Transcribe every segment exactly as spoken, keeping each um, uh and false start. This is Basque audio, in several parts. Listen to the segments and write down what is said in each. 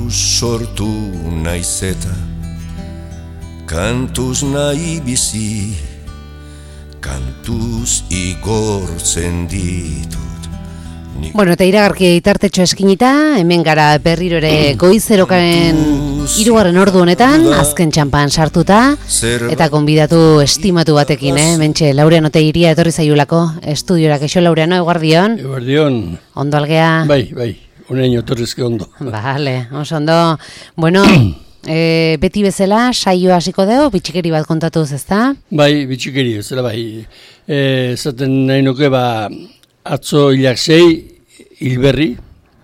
Kantuz sortu naiz eta kantuz nahi bizi, kantuz igortzen ditut. Bueno, eta iragarki itartetxo eskinita, hemen gara berriro ere goizerokaren hirugarren ordu honetan, azken txampan sartuta, eta konbidatu estimatu batekin, eh? Mentxe, Laureano Oteiria etorri zaiulako estudiora. Keixo, Laureano, eguardion? Eguardion. Ondo algea? Bai, bai, uneño torrezke ondo. Vale, oso ondo. Bueno, e, beti bezala, saio hasiko dugu, bitxikeri bat kontatuz, ezta? Bai, bitxikeri bezala, bai. Zaten nahi nuke, ba, atzo hilak sei, hilberri,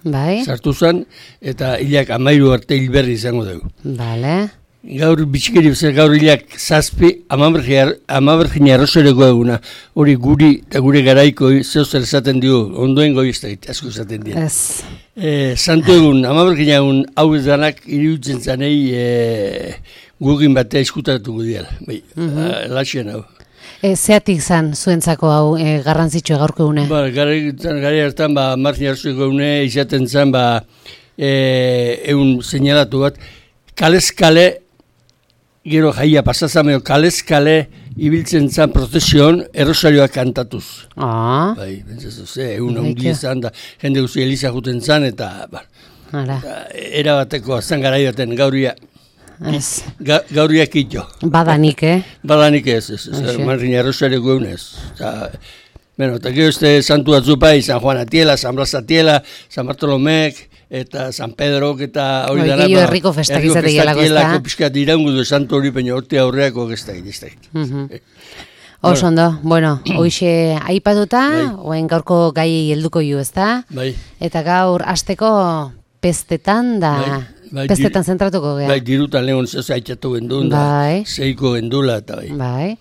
bai. Sartu zen, eta hilak amairu arte hilberri izango dugu. Bale. Gaur bitxikeri bezala, gaur hilak zazpi, amabergin arrozereko eguna, hori guri eta gure garaiko zeuzer esaten dugu, ondoen goi ez da, asko esaten dira. Ez. E, Santu egun, amabergin egun hau ez danak iriutzen zanei e, gugin batea eskutatuko dira. Bai, mm-hmm. Laxen hau. E, zeatik zan zuentzako hau e, garrantzitsua gaurko une? Ba, gari hartan, ba, margin arrozereko egune izaten zan, ba, e, egun seinalatu bat, kalez-kale, gero jaia pasazameo, kalez-kale ibiltzen zan prozesion errosarioak kantatuz. Ah. Bai, bentsazu, ze, egun handi zan, da, jende guzi Eliza juten zan, eta, ba, eta erabateko azan garai baten gauria. Ez. Ga, gauriak ito. Badanik, eh? Badanik ez, ez, ez, margin arrozareko egunez. Bueno, eta gero este santu atzupai, San Juan Atiela, San Blas Atiela, San Bartolomek, eta San Pedro, eta hori dara. Gehiago herriko festak izatek gelako ez da. Herriko piskat irangu du santu hori, peño horti aurreako gestak, gestak. Oso ondo, bueno, hoxe aipatuta, oen gaurko gai helduko ju, ez da? Bai. Eta gaur hasteko pestetan da... Bai, pestetan zentratuko gea. Bai, dirutan lehon zez aitzatu gendun da, bai. Zeiko gendula eta bai. Bai.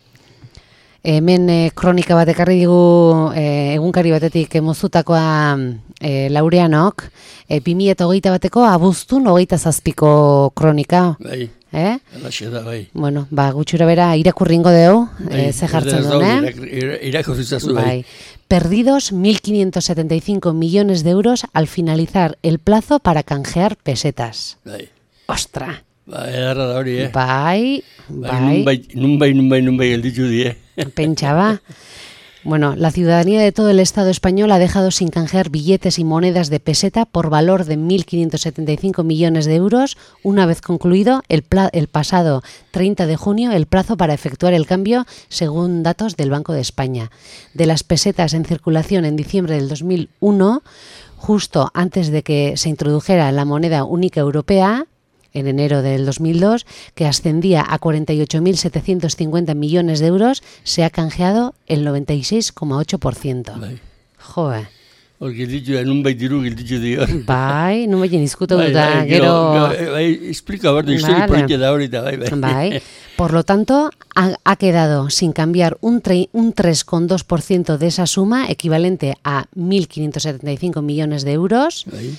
Hemen e, kronika bat ekarri digu e, egunkari batetik mozutakoa e, Laureanok, e, bi mila hogeita bateko abuztun hogeita zazpiko kronika. Bai, eh? alaxe da, bai. Bueno, ba, gutxura bera irakurringo deu, bai, e, ze jartzen duen, eh? Irakurrizazu, bai. bai. Perdidos mil quinientos setenta y cinco millones de euros al finalizar el plazo para canjear pesetas. Bai. Ostra. Ba, edarra da hori, eh? Bai, bai. Bai, nunbai, nunbai, nunbai gelditu die. Pentsaba. Bueno, la ciudadanía de todo el Estado español ha dejado sin canjear billetes y monedas de peseta por valor de mil quinientos setenta y cinco millones de euros una vez concluido el, pla- el pasado treinta de junio el plazo para efectuar el cambio según datos del Banco de España. De las pesetas en circulación en diciembre del dos mil uno, justo antes de que se introdujera la moneda única europea, en enero del dos mil dos, que ascendía a cuarenta y ocho mil setecientos cincuenta millones de euros, se ha canjeado el noventa y seis coma ocho por ciento. Bai. Joe. Hor gelditu da, nunbai diru gelditu dio. Bai, nun baina izkutu bai, duta, bai, gero... Bai, explika, bardo, historia vale. política da hori da, bai, bai. Bai. Por lo tanto, ha, ha quedado sin cambiar un, tre, un tres coma dos por ciento de esa suma, equivalente a mil quinientos setenta y cinco millones de euros, bai.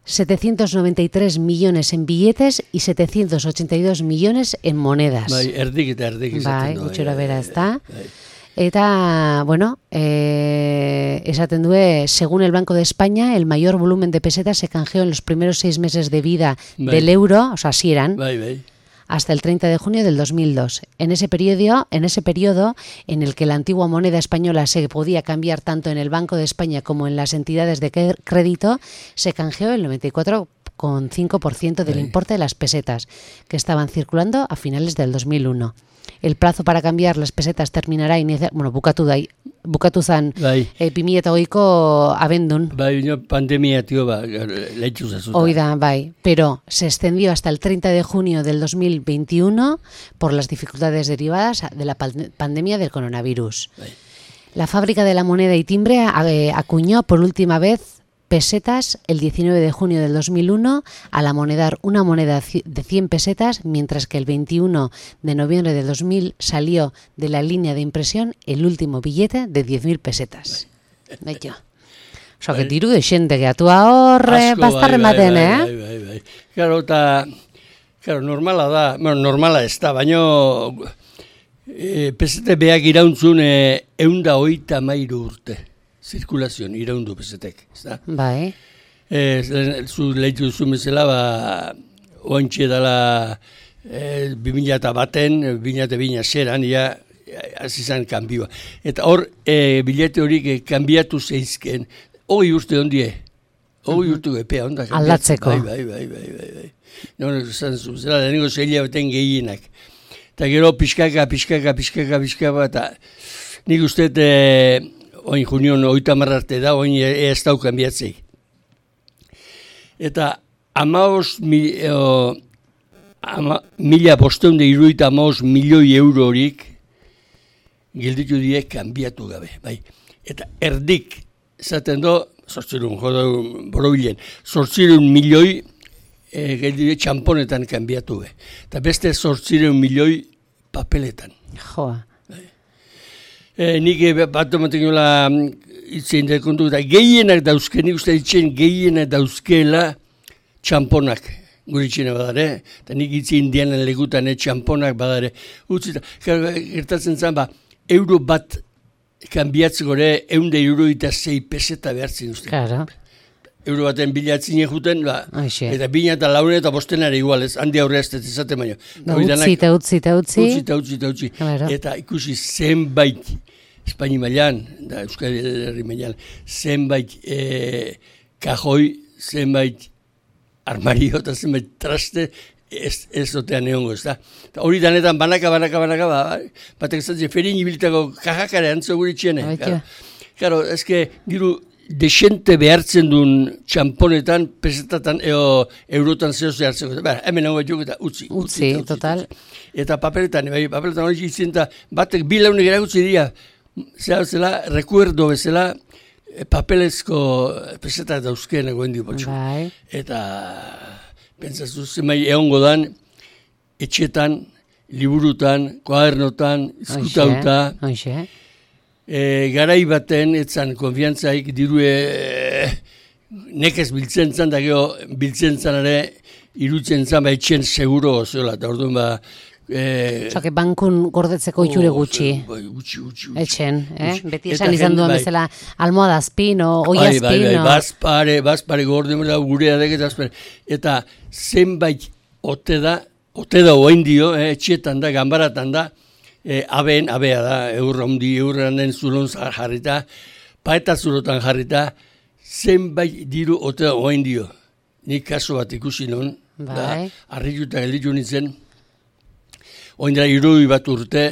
setecientos noventa y tres millones en billetes y setecientos ochenta y dos millones en monedas. Bai, erdik eta erdik izaten Bai, du. gutxora bai, bera bai, ez da. bai. Eta, bueno, eh, esaten due, según el Banco de España, el mayor volumen de pesetas se canjeó en los primeros seis meses de vida bai. del euro, o sea, así eran, Bai, bai. hasta el treinta de junio del dos mil dos. En ese periodo, en ese periodo en el que la antigua moneda española se podía cambiar tanto en el Banco de España como en las entidades de crédito, se canjeó el noventa y cuatro coma cinco por ciento del Bai. importe de las pesetas que estaban circulando a finales del dos mil uno. El plazo para cambiar las pesetas terminará inicia, bueno, bukatu da, bukatu zan Bai. e, bi mila hogeiko abendun. Bai, no, pandemia, tío, ba, leitzu zazuta. Oida, bai, pero se extendió hasta el treinta de junio del dos mil veintiuno por las dificultades derivadas de la pan- pandemia del coronavirus. Bai. La fábrica de la moneda y timbre eh, acuñó por última vez pesetas el diecinueve de junio del dos mil uno al amonedar una moneda de cien pesetas, mientras que el veintiuno de noviembre del dos mil salió de la línea de impresión el último billete de diez mil pesetas. Beito. Oso, que diru de xente geatua horre, bastarren baten, eh? Bai, bai, bai. Claro, eta, claro, normala da, bueno, normala ez da, baino e, pesete beak irauntzun e, eunda oita mairu urte. Zirkulazioan iraundu pesetek, ez da? Bai. E, zu lehitu duzu bezala, ba, oantxe dela e, bi mila eta baten, bi mila eta bina zeran, ja, azizan kanbioa. Eta hor, e, bilete horik e, kanbiatu zeizken, hori urte ondie, hori urte epea onda. Aldatzeko. Bai, bai, bai, bai, bai, bai. No, zan zuzela, deniko zeila baten gehienak. Eta gero pixkaka, pixkaka, pixkaka, pixkaka, eta nik uste, e, oin junion oita marrarte da, oin ez dau kanbiatzei. Eta amaos mil, o, ama, mila bosteunde iruita amaos milioi euro horik gelditu die kanbiatu gabe. Bai. Eta erdik, esaten do, zortzirun, jodo borobilen, zortzirun milioi e, gelditu die txamponetan kanbiatu gabe. Eta beste zortzirun milioi papeletan. Joa. Bai. E, nik bat omaten gola itzen dekontu, eta gehienak dauzke, nik uste ditzen gehienak dauzkela txamponak gure itxena badare, eta nik itzi indianen legutan txamponak badare. Utzita, gertatzen zen, ba, euro bat kanbiatzeko ere, eunde euro eta zei peseta behartzen uste. Claro. Euro baten bilatzen juten, ba, Aixe. eta bina eta laune eta bostenare igual, ez, handi aurre ez izaten baino. Da, utzi eta utzi eta utzi. Utzi eta utzi eta utzi. Claro. Eta ikusi zenbait, Espaini mailan, da Euskal Herri mailan, zenbait e, kajoi, zenbait armario eta zenbait traste, ez, ez otean egongo, ez da. Eta hori danetan banaka, banaka, banaka, ba, batek zatzen, ferin ibiltako kajakare antzo gure txene. Claro, claro, ezke, diru, desente behartzen duen txamponetan, pesetatan, eo, eurotan zehose hartzeko. Ba, hemen hau batzuk eta utzi. Utzi, utzi total. Utzi. Eta papeletan, bai, papeletan hori itzen, eta batek bilaunek erakutzi dira, zera bezala, rekuerdo bezala, papelezko peseta dauzkeen egoen dio potxo. Bai. Eta, pentsatzu zemai egongo dan, etxetan, liburutan, koadernotan, izkutauta. Hoxe, E, garai baten, etzan konfiantzaik, dirue e, nekez biltzen zan, da gero biltzen zan ere, irutzen zan, ba, etxen seguro zola, eta orduan ba, Eh, Osa, que bankun gordetzeko itxure gutxi. Bai, gutxi, gutxi. Etxen, eh? Beti esan izan duen bezala almohadazpin o oiazpin. Bai, bai, bai, bazpare, bazpare gordean gurea dek, eta zenbait ote da, ote da oain dio, eh, etxetan da, ganbaratan da, eh, aben, abea da, eurra hundi, eurran den zulon jarrita, paeta zulotan jarrita, zenbait diru ote da oain dio. Nik kaso bat ikusi non, da, arrituta gelditu nintzen, oin dira irui bat urte,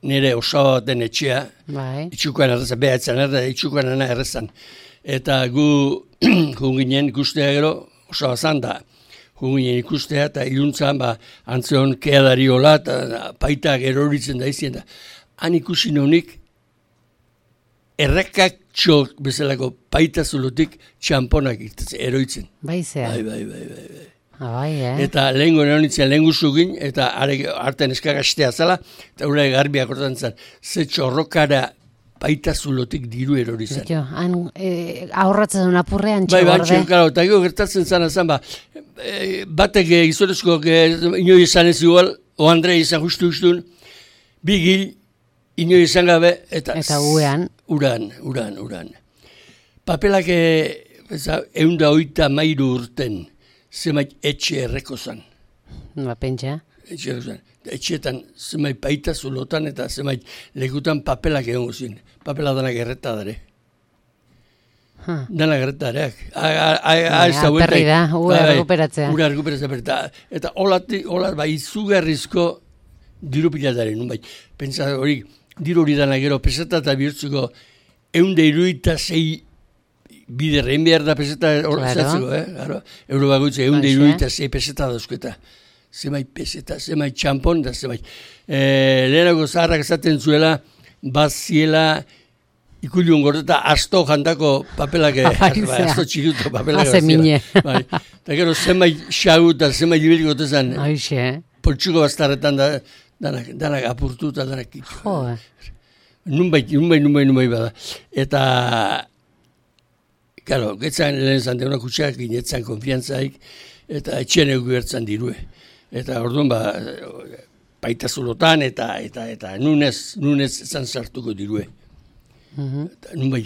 nire osaba baten etxea, bai. Itxukoan errezan, behatzen erra, itxukoan ana errezan. Eta gu junginen ikustea gero, osaba zan da, junginen ikustea, eta iluntzan, ba, antzeon keadari hola, eta paitak eroritzen da izien da. Han ikusi nonik, errekak txok bezalako paita zulotik txamponak eroitzen. Bai zea. Bai, bai, bai, bai, bai. Abai, eh? Eta lehenko neonitzen lehen guzugin, eta arten eskakastea zala, eta ura garbiak hortan zen, ze txorrokara baita zulotik diru erori zen. Jo, han eh, ahorratzen duen apurrean txegorde. Bai, bantxe, karo, eta gero gertatzen zen, azan, ba, e, batek e, izorezko, inoi izan ez igual, o Andre izan justu justun, bi gil, inoi izan gabe, eta... Eta uean. Uran, uran, uran. Papelak eunda oita mairu urten, zemait etxe erreko zan. Ba, pentsa. Etxe erreko zan. Etxeetan zemait paita zulotan eta zemait lekutan papelak egongo zin. Papela danak erreta dare. Huh. Danak erreta dareak. Perri da, ura recuperatzea. Ura recuperatzea. Eta olati, olat, bai, izugarrizko diru pilatare, nun bai. Pentsa hori, diru hori danak gero peseta eta bihurtzuko eunde iruita zei bider, egin behar da peseta horretzatzeko, eh? Claro. Euro bagutze, eunde iruita zei peseta dauzketa. Zemai peseta, zemai txampon, da zemai. E, lehenako zaharrak esaten zuela, baziela ikuliun gordeta asto jantako papelak, asto txiruto papelak. Haze mine. Bai. Eta gero zemai xagu eta zemai libeliko tezan. Aixe. Poltsuko bastarretan da, danak, danak apurtu eta danak kitu. Jo, Nunbait, nunbait, nunbait, nunbait bada. Eta... Karo, getzan lehen zante honak utxak, ginetzan konfiantzaik, eta etxean egu gertzan dirue. Eta orduan, ba, baita zulotan, eta, eta, eta nunez, nunez zan sartuko dirue. Mm-hmm. Eta nun bai.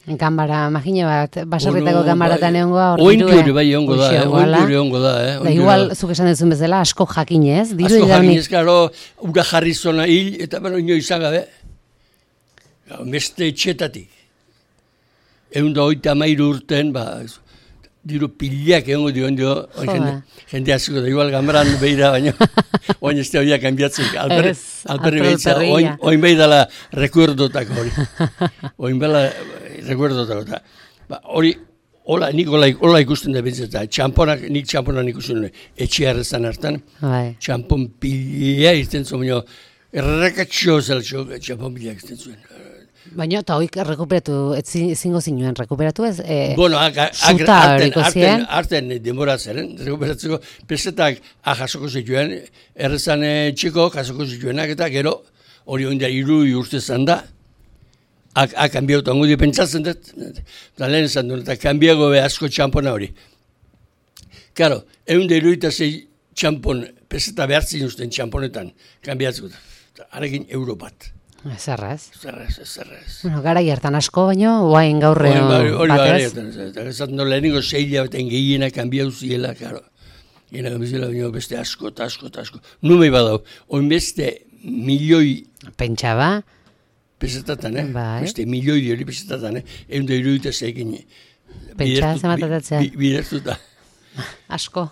Ganbara, imagina bat, baserritako Ono, ganbaratan bai, egongoa hor ointu dirue. ere bai egongo da, Hoxe eh, egongoala. ointu ere egongo da, eh, Da, ointu igual, ere. zuk esan duzun bezala, asko jakinez, diru Asko idaunik. jakinez, karo, ura jarri zona hil, eta bero ino izan gabe. Beste etxetatik. Egun da oita amairu urten, ba, diru pilak egongo dio, dio, jende, jende asko da, igual gambaran behira, baina, oin ez da horiak kanbiatzen, alperri, Ez, alperri alper- behitza, alperria. oin, oin behi dala rekuerdotako hori. Oin bela rekuerdotako, eta, ba, hori, hola, nik hola, hola ikusten da bintzen, eta txamponak, nik txamponak ikusten nuen, etxe harrezan hartan, Bai. txampon pila irten zuen, baina, errakatxo zeltxo, txampon pila irten zuen. Baina, eta hoik rekuperatu, etzi- ezingo zinuen, rekuperatu ez? E, Bueno, ak- ak- suta arten, horiko arten, zien. arten denbora zeren, rekuperatzeko, pesetak jasoko zituen, errezan eh, txiko jasoko zituenak, eta gero, hori oinda iru urte zan da, ak, ak kanbiauta, ongo di pentsatzen dut, eta lehen esan duen, eta kanbiago be asko txampona hori. Karo, egun da iruita zei txampon, peseta behartzen usten txamponetan, kanbiatzeko, harekin euro bat. Zerraz. Zerrez, zerrez. Bueno, gara hartan asko, baina, guain gaurre Hori bai, hori bai, batez. eta esaten dut lehenengo zeila baten gehiena kanbiau ziela, karo. Gena kanbiau baina beste asko, eta asko, eta asko. Numei badau, oin beste milioi Pentsa ba, pesetatan, eh? Bai. Beste milioi hori pesetatan, eh? Egun da iruditu zeikin. Pentsa zenbatatatzea. Bidertuta. asko.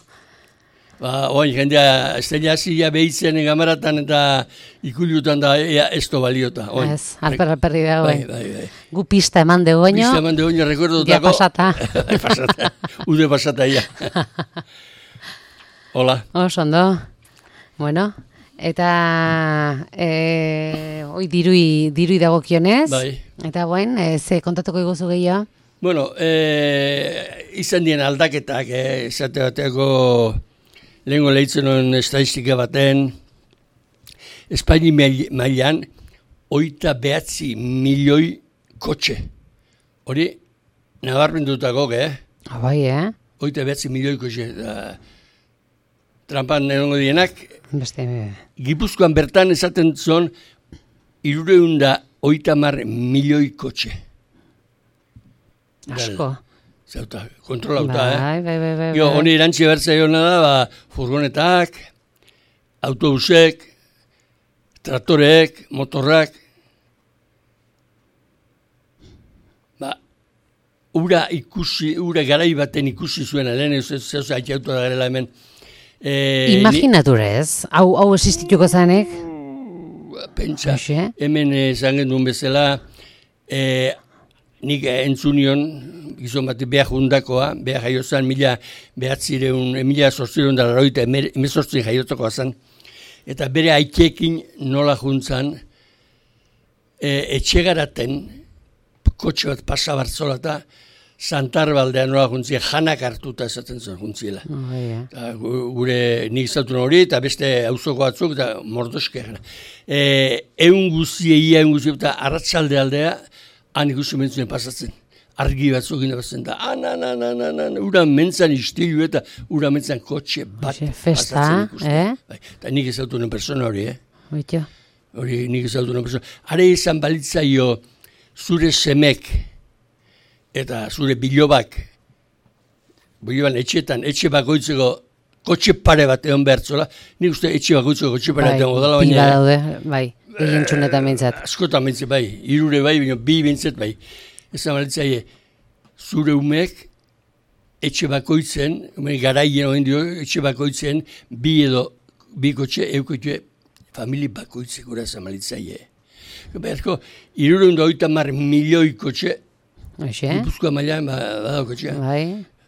Ba, oin, jendea, estela zila behitzen gamaratan eta ikuliutan da ea esto baliota. Oin. Ez, alper alperri dago. Bai, bai, bai. Gu pista eman dugu baino, Pista eman de oin rekordotako. ja pasata. pasata. Ude pasata, ja. Hola. Oso ondo. Bueno, eta e, oi dirui, dirui dagokionez. Bai. Eta guen, e, ze kontatuko iguzu gehiago? Bueno, eh, izan dien aldaketak, eh, esate bateko lehenko lehitzen honen estadistika baten, Espaini mail- mailan, oita behatzi milioi kotxe. Hori, nabarmendutako, eh? Ah, bai, eh? Oita behatzi milioi kotxe. Da, trampan erongo dienak, Beste, Gipuzkoan bertan esaten zon, irureunda oita mar milioi kotxe. asko. Zauta, kontrolauta, Bai, eh? bai, bai, bai. Jo, bai. honi erantzi bertzea jona da, ba, furgonetak, autobusek, traktoreek, motorrak, ba, ura ikusi, ura garai baten ikusi zuen, lehen ez zehoz haitxautu da garela hemen. E, Imaginaturez, hau, hau existituko zanek? ni, pentsa, Hoxe. hemen esan genduen bezala, e, nik entzunion, gizon bat behar jundakoa, behar jaiozan, mila behatzireun, mila sortzireun da laroita, emezortzi jaiotakoa zen, eta bere aikekin nola juntzan, e, etxegaraten, kotxe bat pasa bartzola eta Santarbaldean nola juntzia, janak hartuta esaten zuen juntziela. Oh, yeah. Eta gu- gure nik zautun hori, eta beste auzoko batzuk, eta mordoske gara. E, egun guzie, ia egun guzie, eta arratsalde aldea, han ikusi mentzuen pasatzen. Argi batzuk inabatzen da, ana, ana, ana, ana, ana, ura mentzan istilu eta ura mentzan kotxe bat Hoxe, festa, pasatzen ikusten. eh? Bai, eta nik ezautunen persona hori, eh? Oito. Hori nik ezautunen persona. Are izan balitzaio zure semek eta zure bilobak, biloban etxetan, etxe bakoitzeko kotxe pare bat egon behartzola, nik uste etxe bakoitzeko kotxe pare bat egon godala, bi baina badaude, bai, egin txunetan bintzat. askotan bintzat bai, irure bai, baina bi bintzat bai. Ezan balitzaie, zure umek etxe bakoitzen, ume garaien oen dio, etxe bakoitzen, bi edo, bi kotxe, eukotxe, famili bakoitzek gura ezan balitzaie. Beharko, irureun da oita mar milioi kotxe, Hoxe, Gipuzkoa mailan ba, badau kotxea. bai,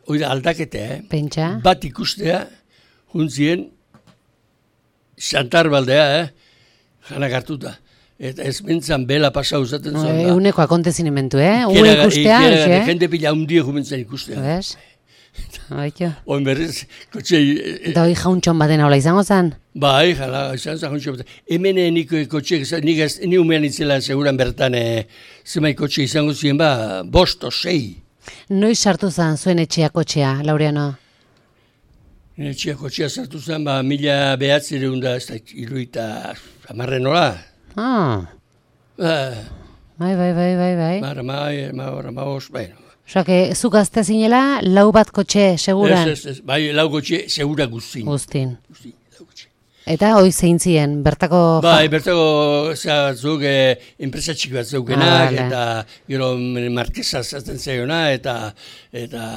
Hoi da aldakete, eh? pentsa. Bat ikustea, juntzien, Santarbaldea, eh? Janak hartuta. Eta ez mentzan bela pasa usaten zuen. E, uneko akontezinimentu, eh? Ue ikustea, hoxe. Jende pila hundie jumentzen ikustea. Ves? Oito. Oin berriz, kotxe... e, Eta hoi jauntxon baten hola izango zen? Bai, jala, izan zahon txopeta. Hemen eh, nik kotxe, nik ez, ni umean itzela seguran bertan, eh, zemai kotxe izango ziren, ba, bost o sei. Noiz sartu zen zuen etxea kotxea, Laureano? Etxea kotxea sartu zen, ba, mila behatzireun da, ez da, iruita, amarren nola. Ah, Ba, Bai, bai, bai, bai, bai. Mar, mai, mar, maos, bueno. Osa, que zu gazte zinela, lau bat kotxe, seguran? Ez, ez, ez, bai, lau kotxe, segura guztin. Guztin. Guztin, lau kotxe. Eta hoi zein zien, bertako... Bai, bertako, zera, zuk, eh, enpresa txiki bat zeukenak, Ah, eta gero markesa zaten zeiona, eta, eta,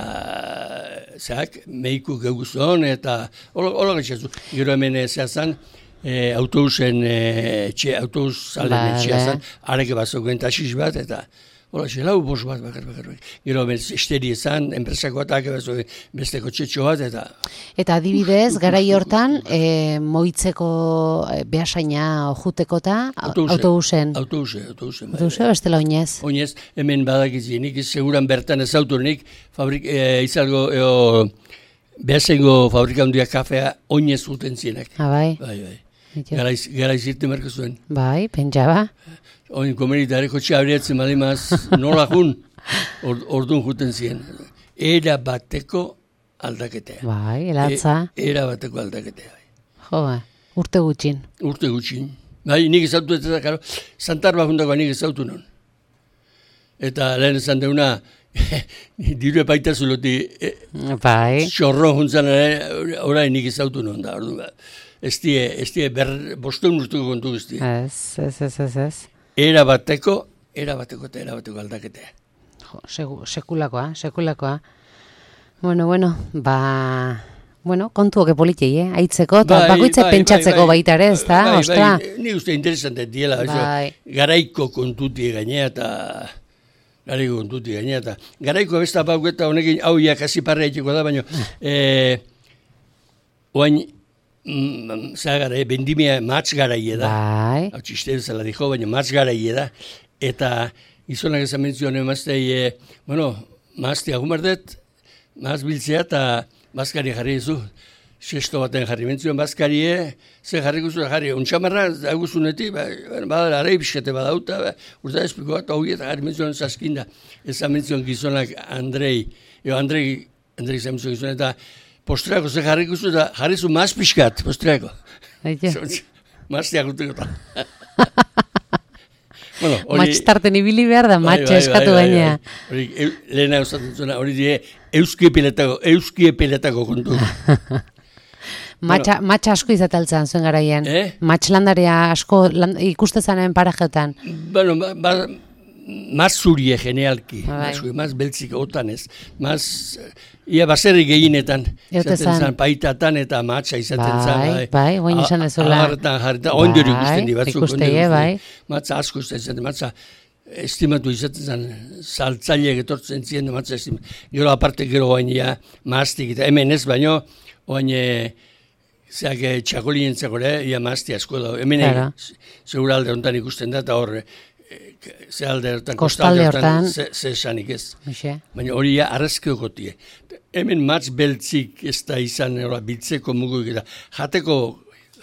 zerak, meiku geuguzon, eta, hola gaitxazu. Gero hemen, zera zan, eh, autobusen, eh, etxe, autobus salen Vale. etxea zan, areke bat zeuken taxis bat, eta, hola, xe, lau bos bat, bakar, bakar, bakar. Gero hemen, esteri ezan, enpresako atak, beste kotxetxo bat, eta... Eta adibidez, garai hortan, e, moitzeko e, behasaina ojuteko eta autobusen. Autobuse, autobusen. bai. Autobuse, bestela oinez. Oinez, hemen badakitzi, nik seguran bertan ez autorenik, fabrik, e, izalgo, eo, behasengo fabrika handia kafea oinez guten zienak. Ah, bai. Bai, bai. Ito. Garaiz, garaiz irte marko zuen. Bai, pentsaba. Oin komenitare kotxe abriatzen balimaz, nola jun, or, ordun juten zien. Era bateko aldaketea. Bai, elatza. E, era bateko aldaketea. Jo, ba, urte gutxin. Urte gutxin. Bai, nik ezautu ez da, karo, Santarba jundakoa nik ezautu non. Eta lehen esan deuna, diru epaita zuloti, e, Bai. xorro juntzan ere, orain nik ezautu non da. Ordu, ez die, ez die, ber, bosteun urtuko kontu guzti. Ez, ez, ez, ez, ez. Era bateko, era bateko eta era bateko aldaketea. Jo, segu, sekulakoa, sekulakoa. Bueno, bueno, ba... Bueno, kontuoke politei, eh? Aitzeko, eta Bai, bakoitze bai, pentsatzeko bai, bai. baita ere, ez da? Bai, Ostra. bai, ni uste interesante diela, Bai. eso, garaiko kontuti gainea eta garaiko kontuti gainea eta garaiko besta bau eta honekin hau ja kasi parra egiteko da, baina eh, oain mm, zagara, bendimia matz garaie da. Bai. Hau txiste zela dijo, baina matz garaie da. Eta izonak esan mentzioan emaztei, e, bueno, mazti agumardet, maz biltzea eta bazkari jarri dizu. Sesto baten jarri mentzioan bazkarie, ze jarri guzu jarri, ontsamarra daguzunetik, ba, badara arei biskete badauta, ba, urta espiko bat, hau eta jarri mentzioan zaskinda. Esan mentzioan gizonak Andrei, eo Andrei, Andrei izan mentzioan gizonak, eta postreako ze jarri guzu, eta jarri zu maz piskat, postreako. Aitio. Maztiak uteko eta. Bueno, Matxtarten ibili behar da, matxe eskatu gainea. Hori, lehena usatzen zuena, hori die, euski epiletako, euski epiletako kontu. Matxa, matxa asko izataltzen zuen garaian. Eh? Matxlandaria asko land, ikustezanen parajetan. Bueno, ba, ba, maz zurie genealki, Bai. maz, maz beltzik otan ez, maz, ia baserri gehienetan, Eute izaten zan. zan, paitatan eta matxa izaten zan, Bai, bai, guain izan dezula. Agarretan jarrita, ondori Bai, ikusten di batzuk. ikustei, ondori bai. ikusten. Matza asko izaten zen, matza estimatu izaten zen, saltzaileak etortzen ziren, matza estimatu. Gero aparte gero oain ja, maztik, eta hemen ez baino, oain zeak txakolinen zekore, ia mazti asko da. Hemen Claro. segura alde honetan ikusten da, eta hor, ze alde hortan, Kostalde hortan. ze, ze esanik ez. Hoxe. Baina hori ja arrezkeokotie. Hemen matz beltzik ez da izan, ora, biltzeko muguik eta jateko,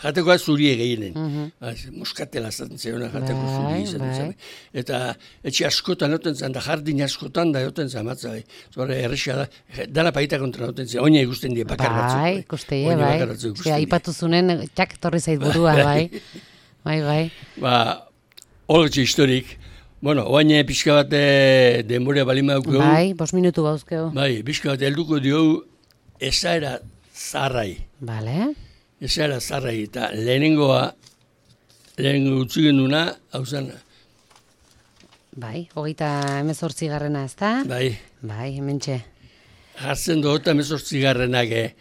jatekoa zurie gehienen. Mm Moskatela zaten zeona jateko Bai, zuri izan. bai. Bai. Eta etxe askotan egoten zen, da jardin askotan da egoten zen matza. Bai. Zora errexea da, dala paita kontra egoten zen, oina ikusten die bakar batzuk. Bai, ikuste, Oina bai. bakar batzuk Osea, ikusten die. aipatu zunen, txak torri zait burua, bai. Bai, bai. Ba, holotxe historik. Bueno, oain pixka bat eh, denbora balima dugu. Bai, bos minutu bauzkeu. Bai, pixka bat helduko diogu esaera zarrai. Bale. Esaera zarrai eta lehenengoa, lehenengo utzi genduna, hau zen, Bai, hogeita hemezortzi garrena, ez da? bai, Bai, hementxe. jartzen du eta mezortzigarrenak, eh,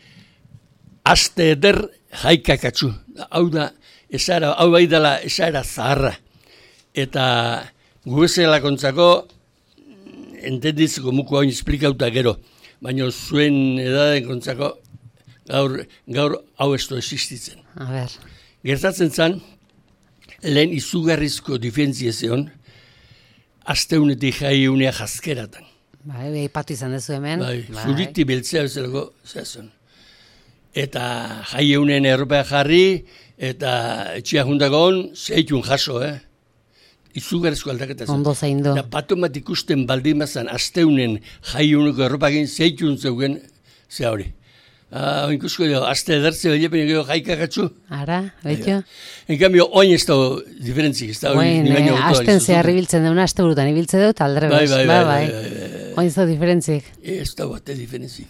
aste eder jaikakatzu. Hau da, esaera, hau bai dela esaera zaharra. Eta gubezela kontzako, entenditzeko muko hain esplikauta gero, baina zuen edaden kontzako, gaur, gaur hau ez du existitzen. A ber. Gertatzen zen, lehen izugarrizko difentzia zeon, asteunetik jai unea jazkeratan. Bai, bai, aipatu izan dezu hemen. Bai, zuriti beltzea bezalako zehazun. Eta jai eunen erropea jarri, eta etxea jundagon, zeitun jaso, eh? Izugarrizko aldaketa zen. Ondo zaindu. Da bato bat ikusten baldin bazan, asteunen jai uneko erropagin zeitun zeugen, ze hori. Ah, oinkusko jo, azte edertze behile gero jaikakatzu. Ara, betio? En cambio, oin ez dago diferentzik, ez dago. Oin, eh, azten zehar ibiltzen deuna, azte burutan ibiltze dut, aldre bai, bez. bai, Ba, bai, bai. bai, bai. Oin ez dago diferentzik. Ez dago ate diferentzik.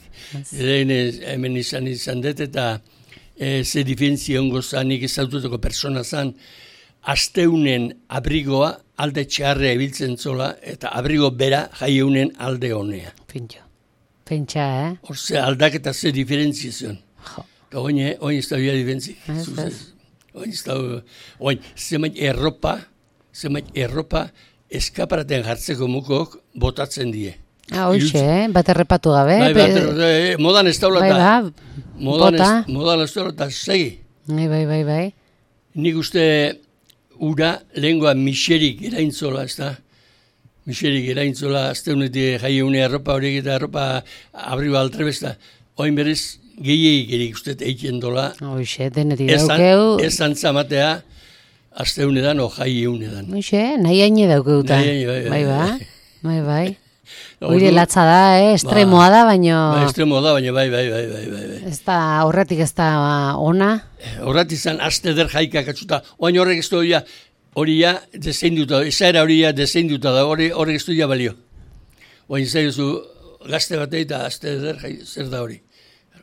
Lehen hemen izan izan dut eta e, ze diferentzi ongo zanik ezaututako persona zan, asteunen abrigoa alde txarrea ibiltzen zola eta abrigo bera jaieunen alde honea. Pintxo. Pentsa, eh? Horze aldaketa ze diferentzi zion. Jo. Eta oin, oin ez da bia diferentzik. Ez, ez. Oin ez da, oin, zemait erropa, zemait erropa eskaparaten jartzeko mukok botatzen die. Ah, hoxe, eh? Bat errepatu gabe. Bai, bat errepatu, eh, modan ez daula Bai, eta. ba, Modan bota. ez, modan ez daula eta segi. Bai, bai, bai, bai. Nik uste ura lehengoa miserik eraintzola, ez da? Miserik eraintzola, azteunetik jaieune arropa horiek eta arropa abriba altrebesta. Oin berez, gehiagik erik uste eiken dola. Hoxe, denetik Ez daukeu. ez antzamatea, azteunedan o jaieunedan. Hoxe, nahi haine daukeuta. Nahi haine, bai, Bai, bai, ba, bai, bai. Ordu- Oire latza da, eh? Estremoa da, baino... Ba, estremo da, baina bai, bai, bai, bai, bai. bai. Ez da, horretik ez da ona. Horrat izan, azte der jaikak atzuta, oain horrek ez doia, hori ja deseinduta, esaera hori ja deseinduta da, hori horrek ez doia balio. Oain zaizu gazte batei eta azte der jai, zer da hori.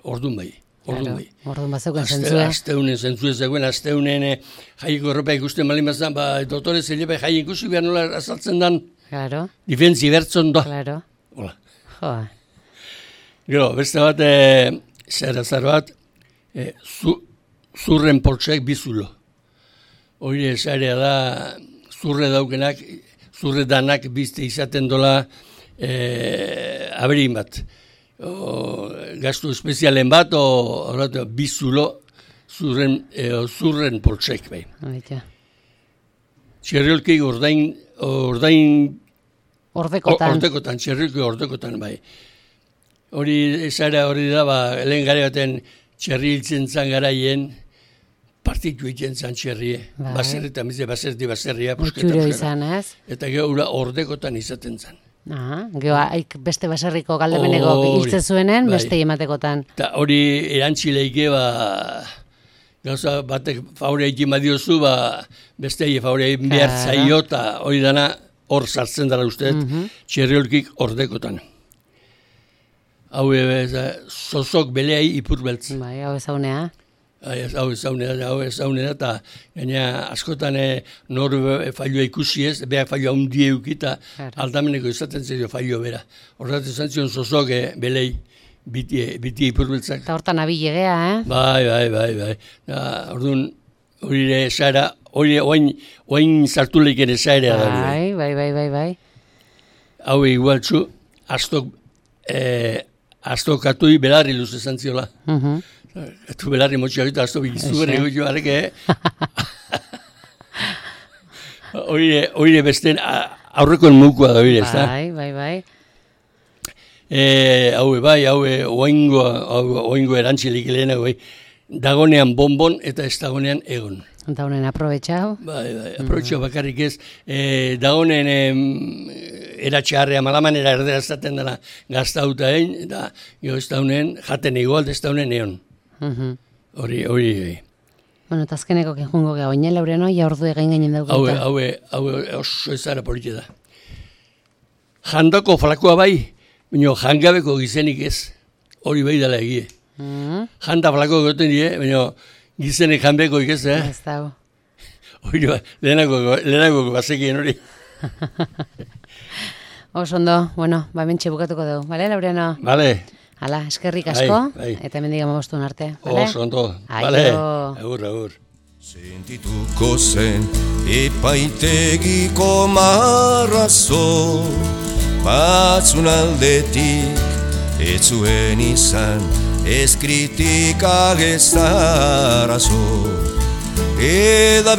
Ordun bai, ordun bai. Orduan bazeuken Azte, zentzue. azteunen zentzu ez dagoen, azteunen eh, jaiko erropa ikusten malin bazan, ba, dotore zelepe jai ikusi behar nola azaltzen dan, Claro, difentzi bertzon da. claro. Hola. Jo, Gero, beste bat, e, zer azar bat, e, zu, zurren poltsek bizulo. Hori esarea da, zurre daukenak, zurre danak bizte izaten dola e, aberin bat. O, gastu espezialen bat, o oratu, bizulo zurren, e, zurren poltsek bai. baita. Txerriolkik ordain, ordain Ordekotan. Ordekotan, txerriko ordekotan, bai. Hori, esara hori da, ba, lehen gare baten txerri hiltzen zan garaien, partitu hiltzen zan txerrie. Bai. Baserritan, bize, baserri, baserria, Utxuro izan, ez? Eta gero ura ordekotan izaten zan. Aha, geho, haik beste baserriko galdemeneko Hori, hiltzen zuenen, bai. beste ematekotan. Eta hori erantzileike, ba, gauza batek favore egin badiozu, ba, beste favore egin behar Claro. zaio, eta hori dana hor sartzen dara usteet, Mhm. txerriolkik ordekotan. Hau e, sozok beleai ipur beltz. Bai, hau ezaunea. Ai, ez- Hau ezaunera, da, hau ezaunera, eta gaina askotan e, nor e, failua ikusi ez, beha failua hundi eukita, Claro. aldameneko izaten zaio failua bera. Horregatik izan zion sozok e, belei biti, biti ipur beltzak. Eta hortan abilegea, eh? Bai, bai, bai, bai. Da, orduan, hori ere esaera, hori oain, oain zartu leiken esaera da. Bai. Bai, bai, bai, bai, bai. Hau igualtzu, astok, eh, astokatui belarri luz esan ziola. Mhm. Atu belarri motxak eta asto bikizu ere Eixe. goio areke. Hori hori besten a- aurrekoen mukua da hori, ez da? Bai, bai, bai. Eh, hau bai, hau oingo, oingo erantzilik lehena, bai. Dagonean bonbon eta ez dagonean egon. Eta honen aprobetxau. Bai, bai, aprobetxo bakarrik ez, eh, dagonen em, eratxearrea malamanera erdera ezaten dela gaztauta egin, eta gero ez daunen jaten igual, ez daunen egon. Mhm. Hori, hori, hori. Bueno, eta azkeneko kenjungo geha, oinel laureno, ja ordu egin gainen Hau, dauketa. hau, hau oso ezara politxe da. Jandako flakoa bai, baina jangabeko gizenik ez, hori bai dela egie. Mhm. Janda flako goten die, baina gizenek janbeko ikez, eh? Ez dago. Hori ba, lehenako, lehenako bazekien hori. Oso ondo, bueno, ba mentxe bukatuko dugu, bale, Laureano? Bale, Hala, eskerrik asko, Bai, bai. eta hemen digamos bostun arte, bale? oso ondo. Aio. Bale, agur, agur. Sentituko zen epaitegiko marrazo, batzun aldetik ez zuen izan ez kritika ez arazo. Eda